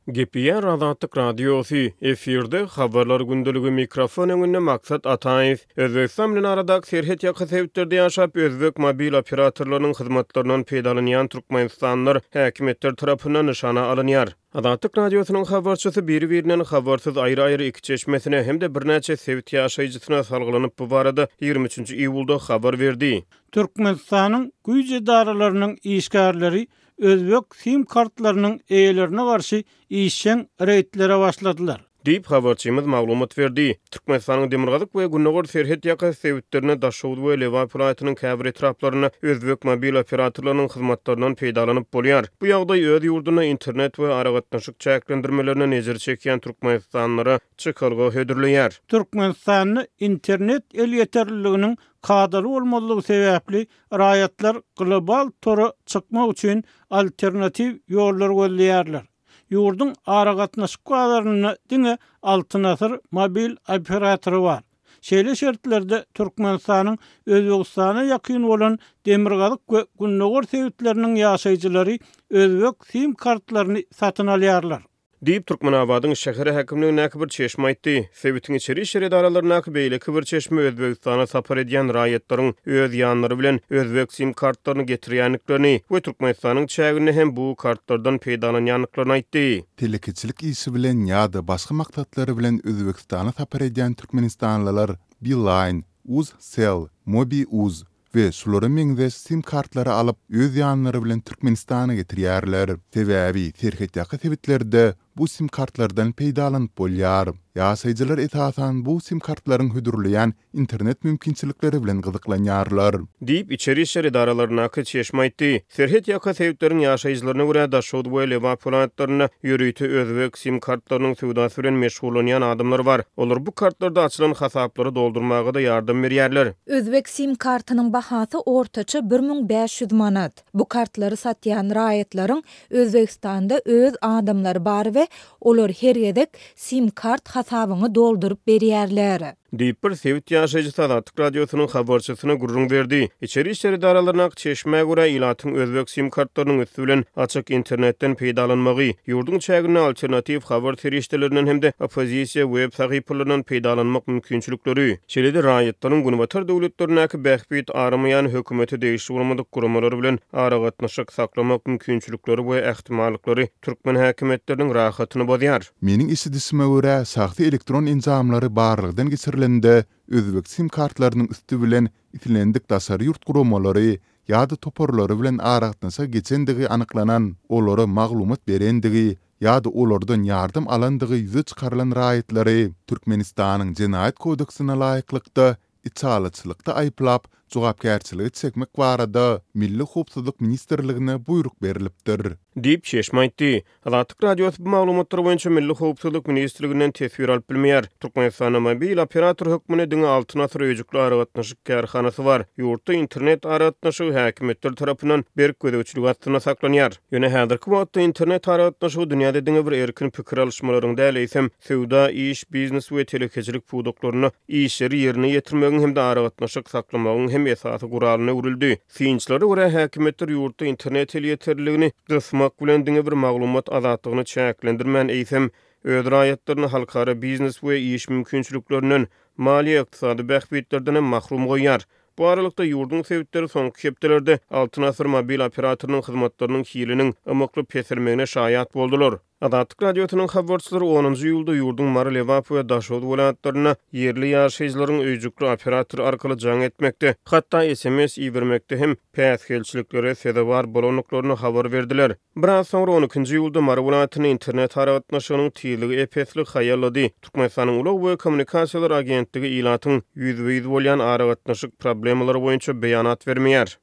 Gepleýär Azatlyk Radiosy, efirde Habarlar gündeligi, mikrofon öňünde Maksat Ataýew. Özbegistan bilen aradaky serhet ýaka sebitlerde ýaşap, özbek mobil operatorlarynyň hyzmatlaryndan peýdalanýan türkmenistanlylar häkimiýetler tarapyndan nyşana alynýar. Azatlyk Radiosynyň habarçysy biri-birinden habarsyz aýry-aýry iki çeşmesine hem-de birnäçe sebit ýaşaýjysyna salgylanyp bu barada 23 iýulda habar berdi. Türkmenistanyň güýç edaralarynyň işgärleri özbek sim kartlarynyň eýelerine garşy işjeň reýdlere başladylar. Diýip, habarçymyz maglumat berdi. Türkmenistanyň demirgazyk we gündogar serhet ýakasy sebitlerinde, Daşoguz we Lebap welaýatynyň käbir etraplarynda özbek mobil operatorlarynyň hyzmatlaryndan peýdalanyp bolýar. Bu ýagdaý öz ýurdunda internet we aragatnaşyk çäklendirmelerinden ejir çekýän türkmenistanlylara çykalga hödürleýär. Türkmenistanda internet elýeterliliginiň kadaly bolmazlygy sebäpli raýatlar global tora çykmak üçin alternatiw ýollar gözleýärler. Ýurduň aragatnaşyk bazarynda diňe Altyn Asyr mobil operatory bar. Şeýle şertlerde Türkmenistanyň Özbegistana ýakyn bolan demirgazyk we gündogar sebitleriniň ýaşaýjylary özbek sim kartlaryny satyn alýarlar. Diýip, Türkmenabadyň şäher häkimligindäki bir çeşme aýtdy. Sebitiň içeri işler edaralaryndaky beýleki bir çeşme Özbegistana sapar edýän raýatlaryň öz ýanlary bilen özbek sim kartlaryny getirýändiklerini we Türkmenistanyň çäginde hem bu kartlardan peýdalanýandyklaryny aýtdy. Telekeçilik işi bilen ýa-da başga maksatlary bilen Özbegistana sapar edýän türkmenistanlylar Beeline, UzCell, MobiUz we şulara meňzeş sim kartlary alyp, öz ýanlary bilen Türkmenistana getirýärler. Sebäbi serhetýaka sebitlerde bu sim kartlardan peýdalanyp bolýar. Ýaşaýjylar esasan bu sim kartlaryň hödürleýän internet mümkinçilikleri bilen gyzyklanýarlar. Diýip, içeri işler edaralaryndaky çeşme aýtdy. Serhet ýaka sebitleriň ýaşaýjylaryna görä, Daşoguz we Lebap welaýatlarynda ýörite özbek sim kartlarynyň söwdasy bilen meşgullanýan adamlar bar. Olar bu kartlarda açylan hasaplary doldurmaga-da ýardam berýärler. Özbek sim kartynyň bahasy ortaça 1500 manat. Bu kartlary satýan raýatlaryň Özbegistanda öz adamlary bar we olar her gezek sim kart hasabyňy dolduryp berýärler. Diýip, bir sebit ýaşaýjysy Azatlyk Radiosynyň habarçysyna gürrüň berdi. Içeri işler edaralaryndaky çeşmä görä, ilatyň özbek sim kartlarynyň üsti bilen açyk internetden peýdalanmagy, ýurduň çäginde alternatiw habar serişdelerinden hem-de oppozisiýa web sahypalaryndan peýdalanmak mümkinçilikleri, şeýle-de raýatlaryň günbatar döwletlerindäki bähbit aramaýan hökümete degişli bolmadyk guramalar bilen aragatnaşyk saklamak mümkinçilikleri we ähtimallyklary türkmen häkimiýetleriniň rahatyny bozýar. Meniň eşidişime görä, şahsy elektron enjamlary barlagdan geçirilende, özbek sim kartlarynyň üsti bilen islendik daşary ýurt guramalary ýa-da toparlary bilen aragatnaşyga geçendigi anyklanan, olara maglumat berendigi ýa-da olardan ýardam alandygy ýüze çykarylan raýatlary Türkmenistanyň Jenaýat kodeksine laýyklykda içalyçylykda aýyplap, jogapkärçilige çekmek barada Milli howpsuzlyk ministrligine buýruk berlipdir. Diýip, çeşme aýtdy. Azatlyk Radiosy bu maglumatlar boýunça Milli howpsuzlyk ministrliginden teswir alyp bilmeýär. Türkmenistanda mobil operator hökmünde diňe Altyn asyr öýjükli aragatnaşyk kärhanasy bar. Ýurtda internet aragatnaşygy häkimiýetler tarapyndan berk gözegçilik astynda saklanýar. Ýöne häzirki wagtda internet aragatnaşygy dünýäde diňe bir erkin pikir alyşmalaryň däl, eýsem, söwda, iş, biznes we telekeçilik pudaklarynda işleri ýerine ýetirmegiň hem-de aragatnaşyk saklamagyň hem esasy guralyna öwrüldi. Synçylara görä, häkimiýetler ýurtda internet elýeterliligini gysmak bilen diňe bir maglumat azatlygyny çäklendirmän, eýsem, öz raýatlaryny halkara biznes we iş mümkinçiliklerinden, maliýe-ykdysady bähbitlerden hem mahrum goýýar. Bu aralykda, ýurduň sebitleri soňky hepdelerde Altyn Asyr mobil operatorynyň hyzmatlarynyň hiliniň ymykly peselmegine şaýat boldular. Azatlyk Radiosynyň habarçylary onunjy iýulda ýurduň Mary, Lebap we Daşoguz welaýatlarynda ýerli ýaşaýjylaryň öýjükli operator arkaly jaň etmekde, hatda sms ibermekde hem päsgelçiliklere sezewar bolandyklaryny habar berdiler. Biraz soňra, on ikinji iýulda Mary welaýatynda internet aragatnaşygynyň tizligi ep-esli haýallady. Türkmenistanyň Ulag we kommunikasiýalar agentligi ilatyň ýüzbe-ýüz bolýan aragatnaşyk problemalary boýunça beýanat bermeýär.